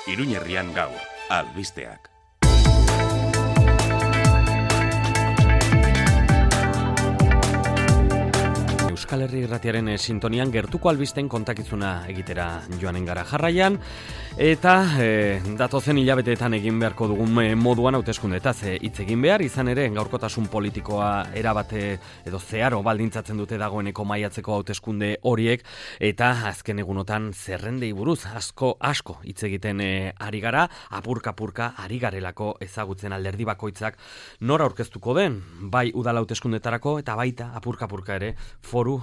Iruñerrian gaur, albisteak. Euskal Herri Irratiaren sintonian gertuko albisten kontakizuna egitera joanen gara jarraian, eta datozen hilabeteetan egin beharko dugun moduan hauteskundetaz hitz egin behar, izan ere gaurkotasun politikoa erabate edo zeharo baldintzatzen dute dagoeneko maiatzeko hauteskunde horiek, eta azken egunotan zerrendei buruz asko hitz egiten ari gara, apurka ari garelako ezagutzen alderdi bakoitzak nora aurkeztuko den, bai udal hauteskundetarako eta baita apurka ere foru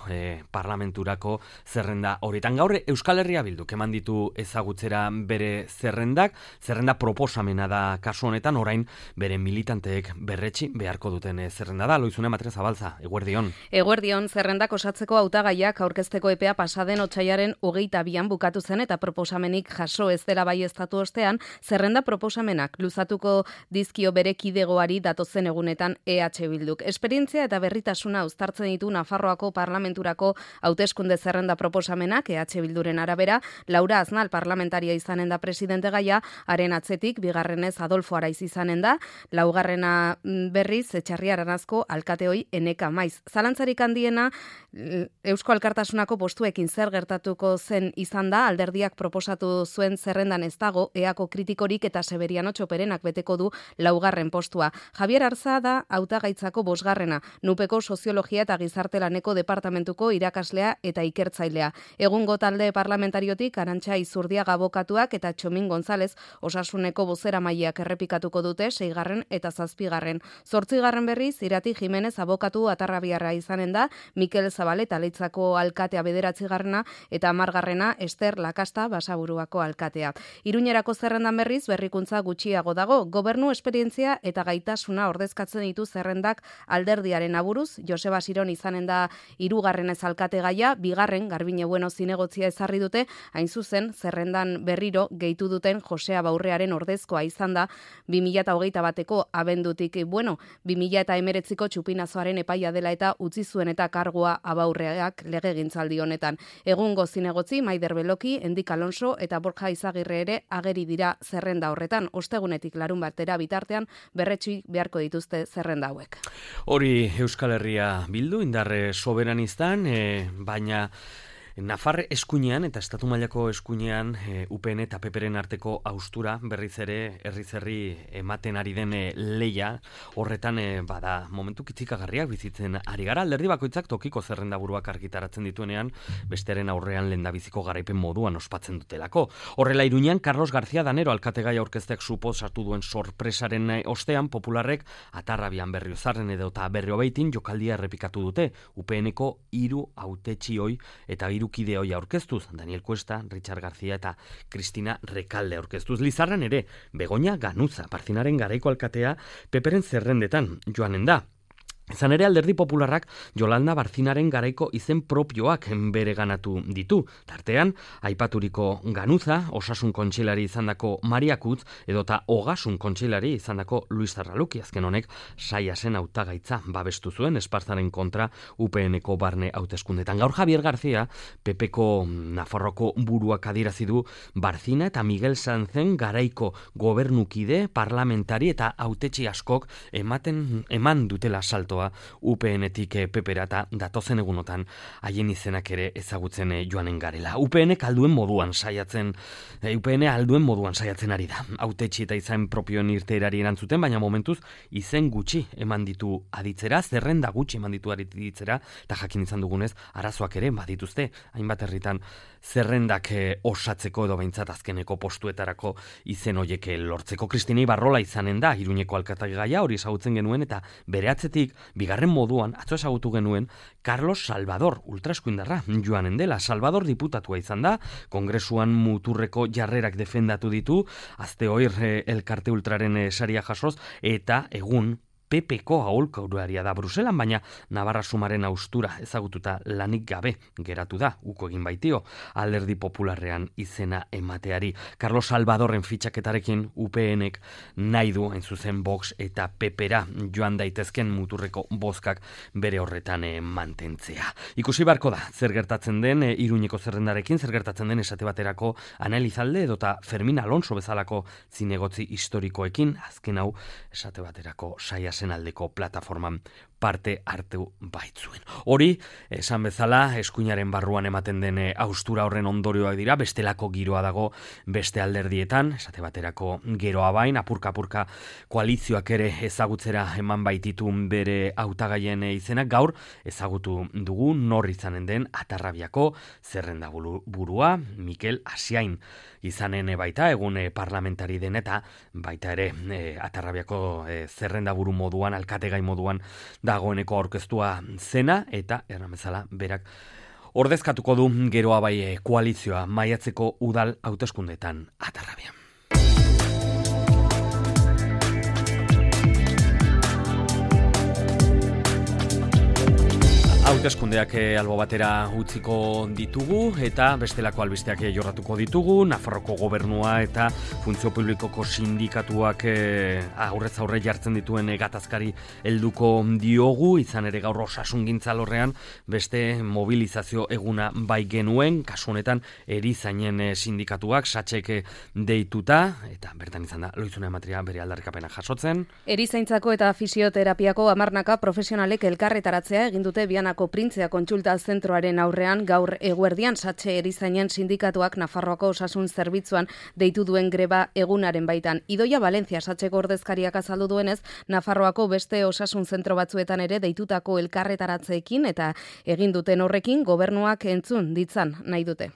parlamenturako zerrenda horietan. Gaur Euskal Herria Bilduk eman ditu ezagutzera bere zerrenda proposamena da kasu honetan, orain bere militanteek berretsi beharko duten zerrenda da. Loizune Matre Zabalza, eguerdion. Eguerdion, zerrendak osatzeko hautagaiak aurkezteko epea pasaden otsailaren 22an bukatu zen eta proposamenik jaso ez dela baieztatu ostean, zerrenda proposamenak luzatuko dizkio bere kidegoari datozen egunetan EH Bilduk. Esperientzia eta berritasuna uztartzen ditu Nafarroako parlamenturako hauteskunde zerrenda proposamenak, EH Bilduren arabera, Laura Aznal parlamentaria izanen da presidente gaia, haren atzetik, bigarrenez Adolfo Araiz izanen da, laugarrena berriz, Etxarri Aranazko alkateoi Eneka Maiz. Zalantzarik handiena, Eusko Alkartasunako postuekin zer gertatuko zen izan da, alderdiak proposatu zuen zerrendan ez dago, eako kritikorik eta Severiano Txoperenak beteko du laugarren postua. Javier Arza da hautagaitzako 5. Nupeko soziologia eta gizartelaneko departamentuko irakaslea eta ikertzailea. Egungo talde parlamentariotik Arantxa Izurdiaga abokatuak eta Txomin González osasuneko bozeramaileak errepikatuko dute 6. eta 7. 8. berriz Irati Jimenez abokatu atarrabiarra izanen da, Mikel Zabaleta Leitzako alkatea 9. eta 10. Ester Lakasta Basaburuako alkatea. Iruñerako zerrendan berriz berrikuntza gutxiago dago, gobernu esperientzia eta gaitasuna ordezkatzen ditu zerrendak alderdiaren aburuz, Joseba Siron izanen da 3. alkate gaia, 2. Garbine Bueno zinegotzia ezarri dute, hain zuzen zerrendan berriro gehitu duten Josea Baurrearen ordezkoa izan da 2021ko abendutik. 2019ko txupinazoaren epaia dela eta utzi zuen eta kargua Abaurreak legegintzaldi honetan. Egungo zinegotzi Maider Beloki, Endik Alonso eta Borja Izagirre ere ageri dira zerrenda horretan. Ostegunetik larunbatera bitartean berretsi beharko dituzte zerrenda hauek. Hori Euskal Herria Bildu indarre soberanistan, baina Nafar eskuinean eta estatu mailako eskuinean UPN eta PPren arteko haustura berriz ere herri ematen ari den leia horretan bada momentu kitzikagarriak bizitzen ari gara. Alderdi bakoitzak tokiko zerrendaburuak argitaratzen dituenean bestearen aurrean lehendabiziko garaipen moduan ospatzen dutelako. Horrela Iruñan Carlos García Danero alkategai aurkezteak suposatu duen sorpresaren ostean popularrek Atarrabian Berriozarren edota Berriobeitin jokaldia errepikatu dute. UPNeko 3 hautetsioi eta kide hoia aurkeztuz, Daniel Cuesta, Richard García eta Cristina Recalde aurkeztuz. Lizarran ere, Begoña Ganuza, Parzinaren garaiko alkatea, Peperen zerrendetan joanen da. Izan ere alderdi popularrak Jolanda Barzinaren garaiko izen propioak bereganatu ditu. Tartean, aipaturiko Ganuza, osasun kontseilari izandako Maria Kutz, edota ogasun kontseilari izandako Luis Zarraluki, azken honek saia zen hautagaitza babestu zuen Esparzaren kontra UPNeko barne hauteskundetan. Gaur Javier García, PPko Nafarroko buruak adierazi du Barzina eta Miguel Sanzen garaiko gobernukide, parlamentari eta hautetsi askok eman dutela saltoa UPN-etik PPera eta datozen egunotan haien izenak ere ezagutzen joanen garela. UPN alduen moduan saiatzen ari da. Hautetsi eta izen propioen irteerari erantzuten, baina momentuz izen gutxi eman ditu aditzera, zerrenda gutxi eman ditu aditzera, eta jakin izan dugunez, arazoak ere badituzte, hainbat herritan zerrendak osatzeko edo behintzat azkeneko postuetarako izen hoiek lortzeko. Kristina Ibarrola izanen da, Iruñeko alkatagaia hori ezagutzen genuen, eta bere atzetik bigarren moduan, atzo ezagutu genuen, Carlos Salvador, ultraeskuindarra joanen dela. Salvador diputatua izan da, kongresuan muturreko jarrerak defendatu ditu, azte hoir elkarte ultraren saria jasoz, eta egun PP-ko aholkularia da Bruselan, baina Navarra Sumaren austura ezagututa lanik gabe geratu da, uko egin baitio, Alderdi Popularrean izena emateari. Carlos Salvadorren fitxaketarekin UPNek nahi du hain zuzen Vox eta PP-ra joan daitezken muturreko bozkak bere horretan mantentzea. Ikusi barko da, zer gertatzen den Iruñeko zerrendarekin, zer gertatzen den esate baterako Analizalde edota Fermin Alonso bezalako zinegotzi historikoekin, azken hau esate baterako Saiasen aldeko plataforman parte hartu baitzuen. Hori, esan bezala, eskuinaren barruan ematen den haustura horren ondorioak dira, bestelako giroa dago beste alderdietan, esate baterako geroa bain, apurka-apurka koalizioak ere ezagutzera eman baititun bere hautagaien izenak, gaur ezagutu dugu nor izanen den Atarrabiako zerrenda burua, Mikel Asiain izanen baita, egun parlamentari den eta baita ere Atarrabiako zerrenda buru moduan, alkategai moduan dagoeneko aurkeztua zena eta erramezala berak ordezkatuko du geroa bai koalizioa maiatzeko udal hauteskundeetan Atarrabian. Hauteskundeak albo batera utziko ditugu eta bestelako albisteak jorratuko ditugu. Nafarroko gobernua eta funtzio publikoko sindikatuak aurrez aurre jartzen dituen gatazkari helduko diogu, izan ere gaur osasungintza alorrean beste mobilizazio eguna bai genuen, kasu honetan erizainen sindikatuak satxek deituta, eta bertan izan da Loizuna Ematria bere aldarrikapena jasotzen. Erizaintzako eta fisioterapiako hamarnaka profesionalek elkarretaratzea egin dute Bianako Printzea kontsulta zentroaren aurrean gaur eguerdian satxe erizainen sindikatuak Nafarroako osasun zerbitzuan deitu duen greba egunaren baitan. Idoia Valencia satxeko ordezkariak azaldu duenez, Nafarroako beste osasun zentro batzuetan ere deitutako elkarretaratzeekin eta egin duten horrekin gobernuak entzun ditzan nahi dute.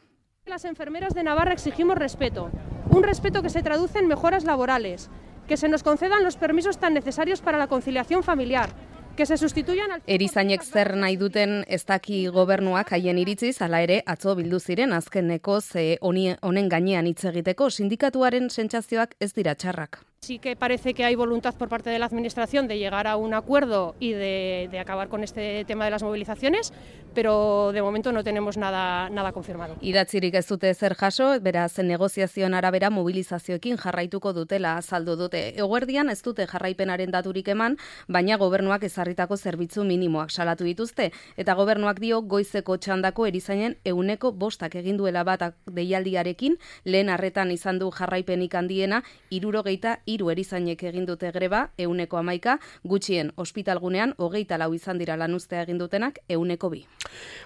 Las enfermeras de Navarra exigimos respeto, un respeto que se traduce en mejoras laborales, que se nos concedan los permisos tan necesarios para la conciliación familiar, que se sustituyan al... Erizainek zer nahi duten ez daki gobernuak haien iritziz, hala ere atzo bildu ziren azkeneko honen gainean hitz egiteko sindikatuaren sentsazioak ez dira txarrak. Sí que parece que hay voluntad por parte de la Administración de llegar a un acuerdo y de acabar con este tema de las movilizaciones, pero de momento no tenemos nada confirmado. Idatzirik ez dute zer jaso, beraz negoziazioen arabera mobilizazioekin jarraituko dutela azaldu dute. Eguerdian ez dute jarraipenaren daturik eman, baina gobernuak ezarritako zerbitzu minimoak salatu dituzte, eta gobernuak dio goizeko txandako erizainen 100% egin duela bat deialdiarekin, lehen arretan izan du jarraipenik handiena 73 erizainek egin dute greba, 111, gutxien ospitalgunean 24 izan dira lanuztea egin dutenak 102.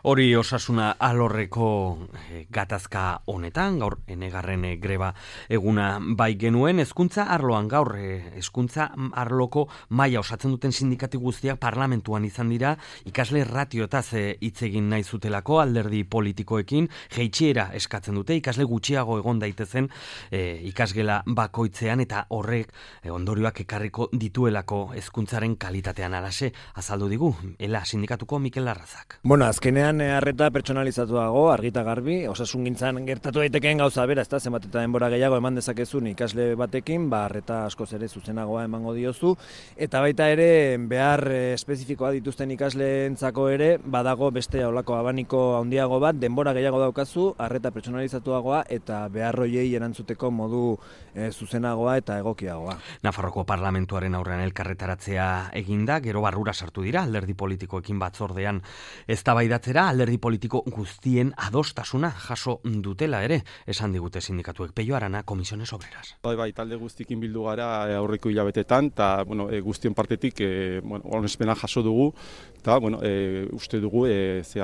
Hori osasuna alorreko gatazka honetan, gaur enegarren greba eguna bai genuen, hezkuntza arloan gaur, hezkuntza arloko maila osatzen duten sindikati guztiak parlamentuan izan dira, ikasle ratioetaz hitz egin nahi zutelako alderdi politikoekin, jeitsiera eskatzen dute, ikasle gutxiago egon daitezen ikasgela bakoitzean eta horrek ondorioak ekarriko dituelako hezkuntzaren kalitatean alase azaldu digu, ela sindikatuko Mikel Larrazak. Bueno, azkenean arreta pertsonalizatuago, argita garbi, osasungintzan gertatu daitekeen gauza bera, ezta zenbat eta denbora gehiago eman dezakezun ikasle batekin, arreta askoz ere zuzenagoa emango diozu, eta baita ere behar espezifikoa dituzten ikasleentzako ere badago beste holako abaniko handiago bat, denbora gehiago daukazu, arreta pertsonalizatuagoa eta behar hoiei erantzuteko modu zuzenagoa eta egokiagoa. Nafarroko parlamentuaren aurrean elkarretaratzea eginda, gero barrura sartu dira alderdi politikoekin batzordean eztabaidatzera, alderdi politiko guztien adostasuna jaso dutela ere, esan digute sindikatuek. Peio Arana, Comisiones Obreras. Bai, talde guztikin bildu gara aurreko hilabetetan, eta guztien partetik onespena jaso dugu, eta uste dugu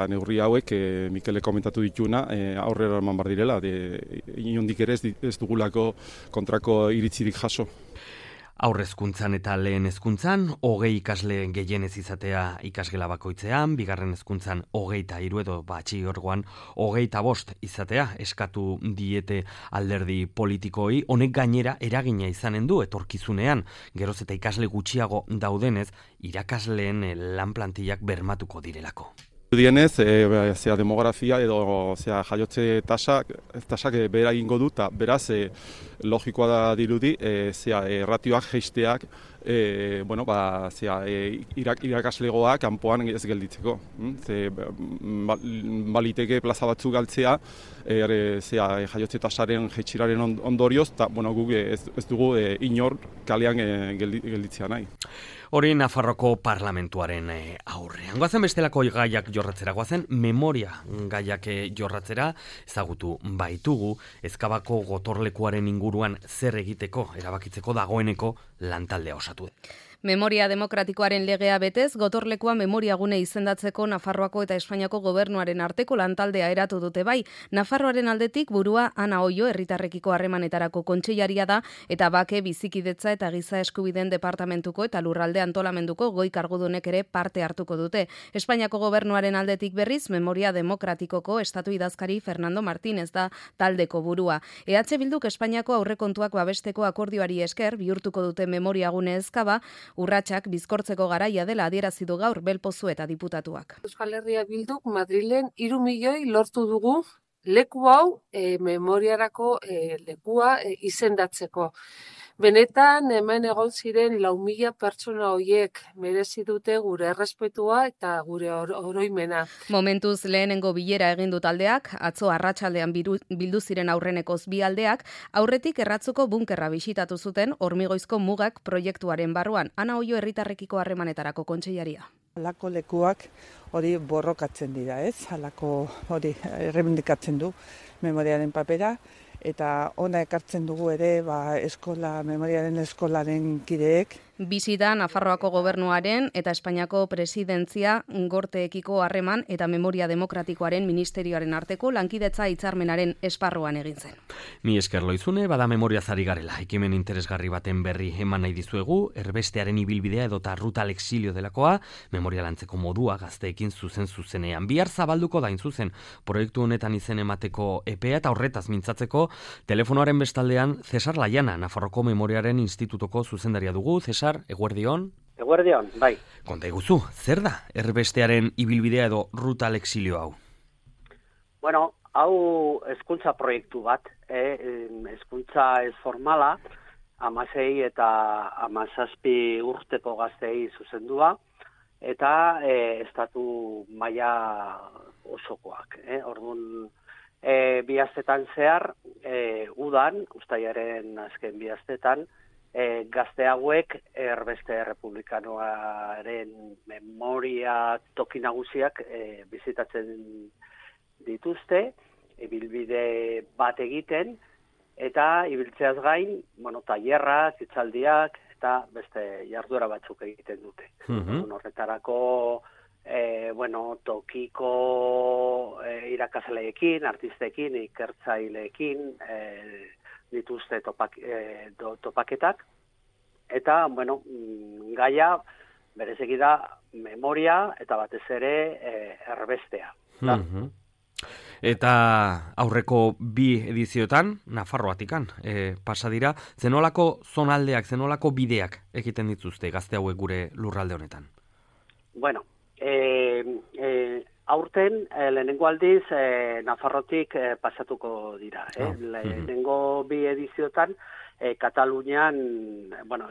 neurri hauek Mikele komentatu dituna aurrera eman bar direla, inondik ere ez dugulako kontrako iritzirik jaso. Aurrezkuntzan eta lehen hezkuntzan 20 ikasle gehienez izatea ikasgela bakoitzean, bigarren hezkuntzan 23 edo batxilergoan 25 izatea eskatu diete alderdi politikoi. Honek gainera eragina izanen du etorkizunean, geroz eta ikasle gutxiago daudenez, irakasleen lan plantillak bermatuko direlako. Dienez, demografia edo jaiotze tasak behera egingo du, eta beraz logikoa da dirudi ratioak jeisteak bueno, irakaslegoa kanpoan ez gelditzeko. Ze baliteke plaza batzuk galtzea, jaiotze tasaren jaitsieraren ondorioz, eta bueno, guk ez dugu inor kalean gelditzea nahi. Hori Nafarroko parlamentuaren aurrean. Goazen bestelako gaiak jorratzera, goazen memoria gaiak jorratzera, ezagutu baitugu, Ezkabako gotorlekuaren inguruan zer egiteko, erabakitzeko dagoeneko lantaldea osatu. Memoria demokratikoaren legea betez, gotorlekua memoriagune izendatzeko Nafarroako eta Espainiako gobernuaren arteko lantaldea eratu dute bai. Nafarroaren aldetik burua Ana Oio herritarrekiko harremanetarako kontseilaria da eta bake bizikidetza eta giza eskubideen departamentuko eta lurralde antolamenduko goi kargudunek ere parte hartuko dute. Espainiako gobernuaren aldetik berriz, Memoria Demokratikoko estatu idazkari Fernando Martínez da taldeko burua. EH Bilduk Espainiako aurrekontuak babesteko akordioari esker bihurtuko dute memoriagune Ezkaba, urratsak bizkortzeko garaia dela adierazi du gaur Belpozu eta diputatuak. Euskal Herria Bilduk Madrilen 3 milioi lortu dugu leku hau memoriarako lekua izendatzeko. Benetan hemen egon ziren 4.000 pertsona horiek merezi dute gure errespetua eta gure oroimena. Momentuz lehenengo bilera egin du taldeak, atzo arratsaldean bildu ziren aurrenekoz bi aldeak, aurretik erratzuko bunkerra bisitatu zuten Hormigoizko mugak proiektuaren barruan. Ana Oio herritarrekiko harremanetarako kontseilaria. Halako lekuak hori borrokatzen dira, ez? Halako hori errebindikatzen du memoriaren papera. Eta ona ekartzen dugu ere memoriaren eskolaren kideek. Bisita Nafarroako gobernuaren eta Espainiako presidentzia gorteekiko harreman eta Memoria Demokratikoaren ministerioaren arteko lankidetza hitzarmenaren esparruan egin zen. Mi esker Loizune, bada memoria zari garela. Ekimen interesgarri baten berri eman nahi dizuegu, erbestearen ibilbidea edota ruta al exilio delakoa, memoria lantzeko modua gazteekin zuzenean. Bihar zabalduko da zuzen proiektu honetan izen emateko epea eta horretaz mintzatzeko telefonoaren bestaldean Cesar Laiana, Nafarroko Memoriaren Institutoko zuzendaria dugu. Cesar, eguerdion? Eguerdion, bai. Konta iguzu, zer da erbestearen ibilbidea edo ruta al exilio hau? Bueno, hau hezkuntza proiektu bat, hezkuntza ez formala, 16 eta 17 urteko gazteei zuzendua, eta estatu maila osokoak. Orduan, bi astetan zehar, udan, uztailaren azken bi astetan, gazte hauek erbeste republikanoaren memoria toki nagusiak bizitatzen dituzte, ibilbide bat egiten, eta ibiltzeaz gain, tailerrak, hitzaldiak eta beste jarduera batzuk egiten dute. Horretarako tokiko irakasleekin, artistekin, ikertzaileekin dituzte topaketak. Eta, gaia bereziki da memoria eta batez ere erbestea. Eta aurreko bi edizioetan, Nafarroatikan, pasa dira, zenolako zonaldeak, zenolako bideak egiten dituzte gazte hauek gure lurralde honetan? Aurten, lehenengo aldiz, Nafarrotik pasatuko dira. Lehenengo bi ediziotan, Katalunian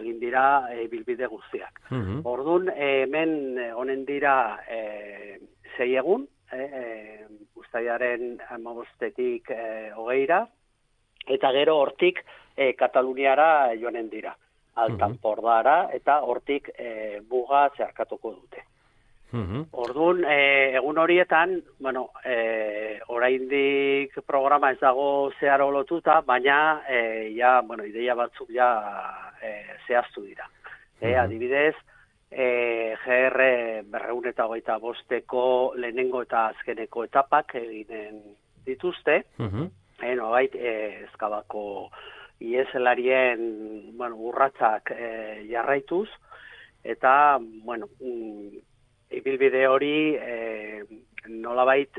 egin dira bilbide guztiak. Orduan, hemen honen dira 6 egun, uztailaren 15-tik 20ra, eta gero hortik Kataluniara joanen dira. Altanpordara, eta hortik buga zeharkatuko dute. Orduan, egun horietan, oraindik programa ez dago zeharo lotuta, baina ideia batzuk zehaztu dira. Adibidez, GR 225ko lehenengo eta azkeneko etapak eginen dituzte, Ezkabako ieselarien urratsak jarraituz, eta, ibilbide hori nolabait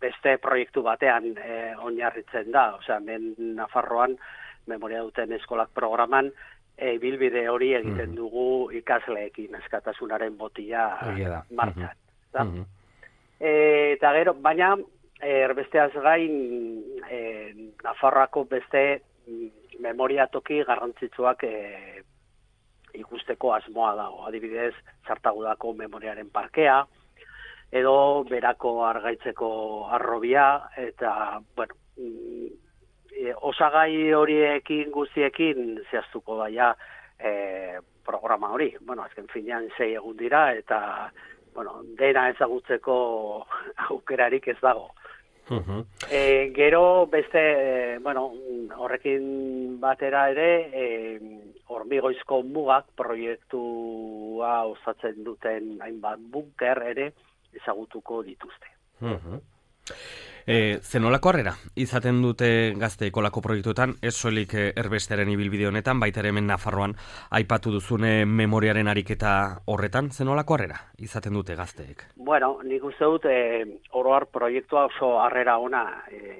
beste proiektu batean oinarritzen da. Osea, Nafarroan memoria duten eskolak programan ibilbide hori egiten dugu ikasleekin, askatasunaren botila martxan. Eta gero, baina erbesteaz gain Nafarroako beste memoria toki garrantzitsuak ikusteko asmoa dago. Adibidez, Zartagudako memoriaren parkea, edo Berako Argaitzeko harrobia, eta, bueno, osagai horiekin guztiekin zehaztuko daia programa hori. Bueno, azken finean 6 egun dira, eta, bueno, dena ezagutzeko aukerarik ez dago. Gero beste, bueno, horrekin batera ere, Hormigoizko Mugak proiektua osatzen duten hainbat bunker ere ezagutuko dituzte. Zenolako harrera izaten dute gazteek olako proiektuetan, ez soilik erbesteren ibilbide honetan, baita ere hemen Nafarroan aipatu duzune memoriaren ariketa horretan, zenolako harrera izaten dute gazteek? Bueno, nik uste dut oroar proiektua oso harrera ona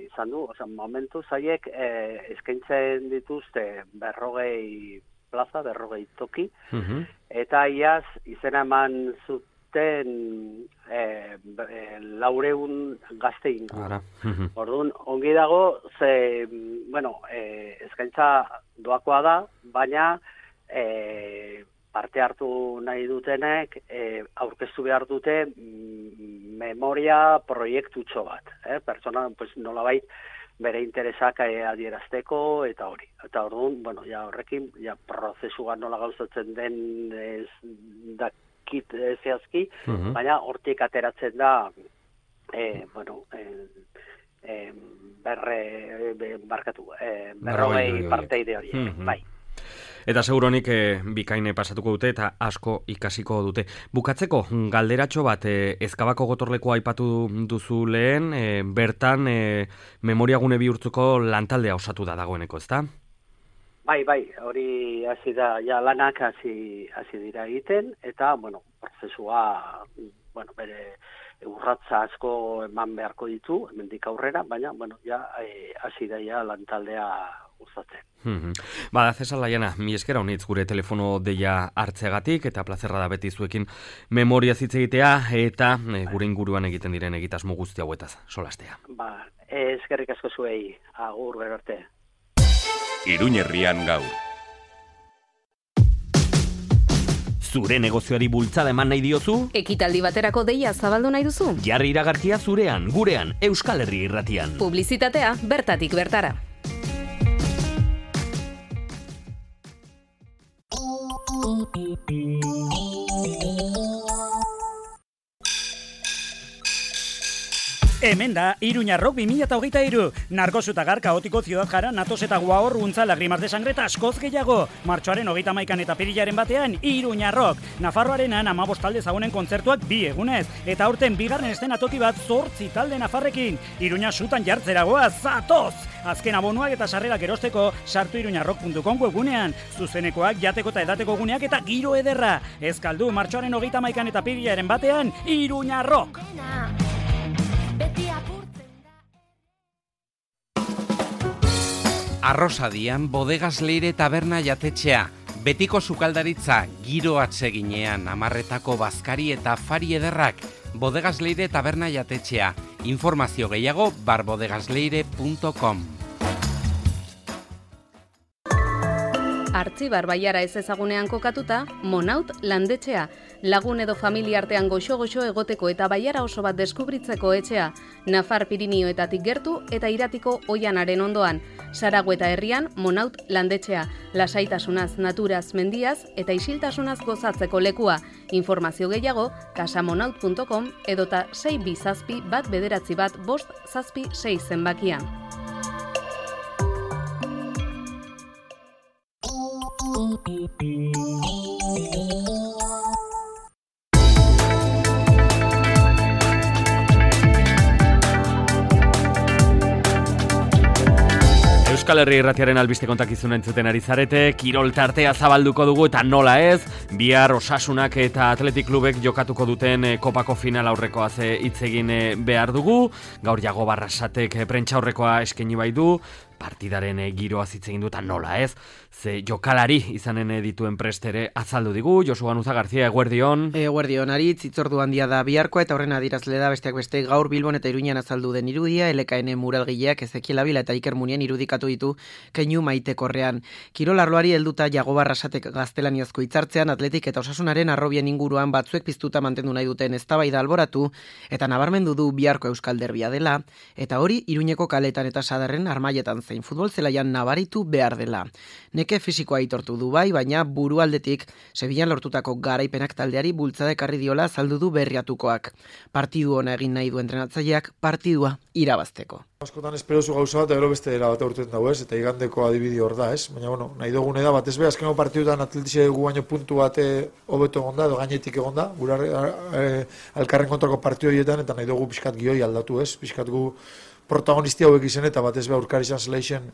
izan du, momentu zaiek eskaintzen dituzte 40 plaza, 40 toki, eta iaz izena eman zuten 400 gazte inguru. Orduan, ongi dago, eskaintza doakoa da, baina parte hartu nahi dutenek aurkeztu behar dute memoria proiektutxo bat. Pertsona, nolabait, bere interesak adierazteko eta hori. Eta orduan, horrekin, prozesua nola gauzatzen den zehazki, baina hortik ateratzen da berrogei parteide hori. Bai. Eta seguronik bikaine pasatuko dute eta asko ikasiko dute. Bukatzeko, galderatxo bat, Ezkabako gotorlekoa aipatu duzu lehen, bertan memoriagune bihurtzuko lantaldea osatu da dagoeneko, ezta? Bai, hori hasi da, lanak hasi dira egiten, eta, prozesua, bere urratza asko eman beharko ditu, hemendik aurrera, baina, hasi da lantaldea usatzen. Bada, Cesar Laiana, mi eskera honitz gure telefono deia hartzeagatik, eta plazerra da beti zuekin memoria hitz egitea, eta gure inguruan egiten diren egitasmo guzti hauetaz, solastea. Eskerrik asko zuei, agur gero arte. Iruñerrian gaur. Zure negozioari bultzada eman nahi diozu? Ekitaldi baterako deia zabaldu nahi duzu? Jarri iragarkia zurean, gurean, Euskal Herri Irratian. Publizitatea bertatik bertara. Hemen da, Iruña Rock 2023. Narkozuta kaotiko ziudad jara, natos eta guahor, untza, lagrimas de sangre eta askoz gehiago. Martxoaren 31 eta perilaren batean, Iruña Rock. Nafarroarenan 15 talde zagunen kontzertuak 2 egunez. Eta aurten bigarren eszenatoki bat 8 talde nafarrekin. Iruña sutan jartzeragoa, zatoz! Azken abonuak eta sarrerak erosteko, sartu iruñarrock.com webgunean. Zuzenekoak, jateko eta edateko guneak eta giro ederra. Ez kaldu, martxoaren 31 eta perilaren batean, Iruña Rock. Arrosadian Bodegas Leire taberna jatetxea, betiko sukaldaritza, giro atseginean, amarretako bazkari eta fari ederrak, Bodegas Leire taberna jatetxea, informazio gehiago barbodegasleire.com. Artzibar Baiara ez ezagunean kokatuta, Monaut landetxea, lagun edo familia artean goxo-goxo egoteko eta Baiara oso bat deskubritzeko etxea, Nafar Pirinioetatik gertu eta Iratiko Oianaren ondoan, Saragueta herrian Monaut landetxea, lasaitasunaz, naturaz, mendiaz eta isiltasunaz gozatzeko lekua. Informazio gehiago, casamonaut.com edota 627-199-576 zenbakian. Euskal Herri Irratiaren albiste kontakizuna entzuten ari zarete, kirol tartea zabalduko dugu eta nola ez, bihar Osasunak eta Athletic Klubek jokatuko duten kopako final aurrekoaz hitz egin behar dugu, gaur Jago Barrasatek prentsa aurrekoa eskaini bai du, partidaren giroa hitz egin du eta nola ez, ze jokalari izanen dituen prestere azaldu digu. Josu Ganuza Garzia, eguerdion. Eguerdion, Aritz, hitzordu handia da biharkoa eta horren adierazle da besteak beste gaur Bilbon eta Iruñan azaldu den irudia, LKN muralgileak Ezekiel Abila eta Iker Munien irudikatu ditu keinu maitekorrean. Kirol arloari helduta Jagoba Arrasatek gaztelaniazko hitzartzean Atletik eta Osasunaren arrobien inguruan batzuek piztuta mantendu nahi duten eztabaida alboratu eta nabarmendu du biharko euskal derbia dela, eta hori Iruñeko kaletan eta Sadarren armailetan zein futbol zelaian nabaritu behar dela. Neke fisikoa aitortu du bai, baina burualdetik Sevillan lortutako garaipenak taldeari bultzada ekarri diola azaldu du berriatukoak. Partidu ona egin nahi du entrenatzaileak partidua irabazteko. Askotan esperozu gauza bat, gero beste era bat urten dago ez, eta igandeko adibidi hor da ez, baina bueno, nahi dugune da, batez be, azkeneko partidutan Atletixe gu baino puntu bat hobeto egonda, edo gainetik egonda, gura alkarren kontrako partidu horietan, eta nahi dugu pixkat gioi aldatu ez, pixkat gu protagonisti hauek izen eta batez be aurkari izan zeleixen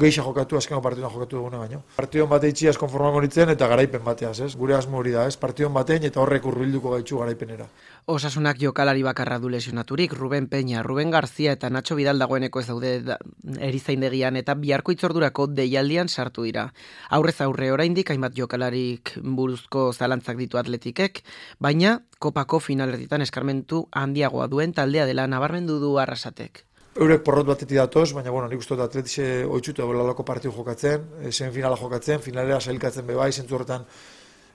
geixa jokatu, azkeneko partiduan jokatu dugune baino. Partidon bate itxiaz konformako nitzen eta garaipen bateaz ez, gure asmo hori da ez, partidon batein eta horrek urbilduko gaitxu garaipenera. Osasunak jokalari bakarra du lesionaturik, Ruben Peña, Ruben Garzia eta Nacho Vidal dagoeneko ez daude erizaindegian eta biharko itzordurako deialdian sartu dira. Aurrez aurre oraindik hainbat jokalarik buruzko zalantzak ditu Atletikek, baina kopako finalerdietan eskarmentu handiagoa duen taldea dela nabarmendu du Arrasatek. Eurek porrot batetik datoz, baina bueno, nik uste dut Atletixe oitzutu egolalako partidu jokatzen, semifinala jokatzen, finalera sailkatzen bebai, zentzu horretan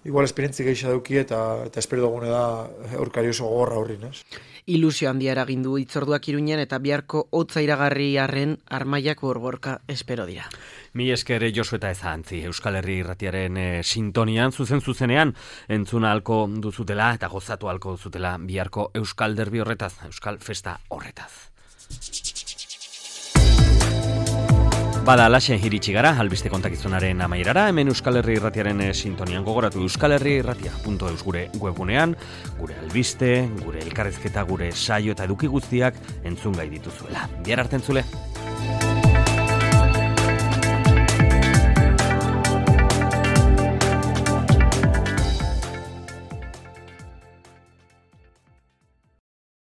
igual esperientzi gehiago dauki eta espero dugune da aurkari oso gogorra horrin, ez? Ilusio handia eragindu hitzorduak Iruñan eta biharko hotza iragarriarren armaiak borborka espero dira. Mi esker Josu eta Ezantzi, Euskal Herri Irratiaren sintonian, zuzenean entzuna halko duzutela eta gozatu halko duzutela biharko Euskal Derbi horretaz, Euskal Festa horretaz. Bada, alaxe iritsi gara, albiste kontakizunaren amaierara, hemen Euskal Herri Irratiaren sintonian gogoratu euskalherriirratia.eus gure webgunean, gure albiste, gure elkarrezketa, gure saio eta eduki guztiak entzungai dituzuela. Bihar arte entzule!